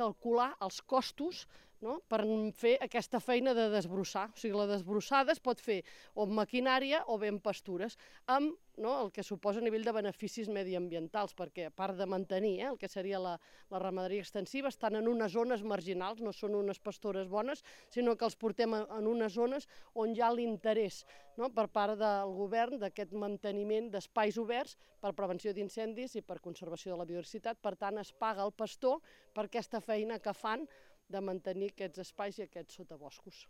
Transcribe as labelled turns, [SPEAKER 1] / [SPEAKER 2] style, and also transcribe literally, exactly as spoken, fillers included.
[SPEAKER 1] calcular els costos, no?, per fer aquesta feina de desbrossar. O sigui, la desbrossada es pot fer o amb maquinària o bé amb pastures, amb, no, el que suposa a nivell de beneficis mediambientals, perquè a part de mantenir eh, el que seria la, la ramaderia extensiva, estan en unes zones marginals, no són unes pastures bones, sinó que els portem en unes zones on hi ha l'interès, no, per part del govern d'aquest manteniment d'espais oberts per prevenció d'incendis i per conservació de la biodiversitat. Per tant, es paga al pastor per aquesta feina que fan de mantenir aquests espais i aquests sotaboscos.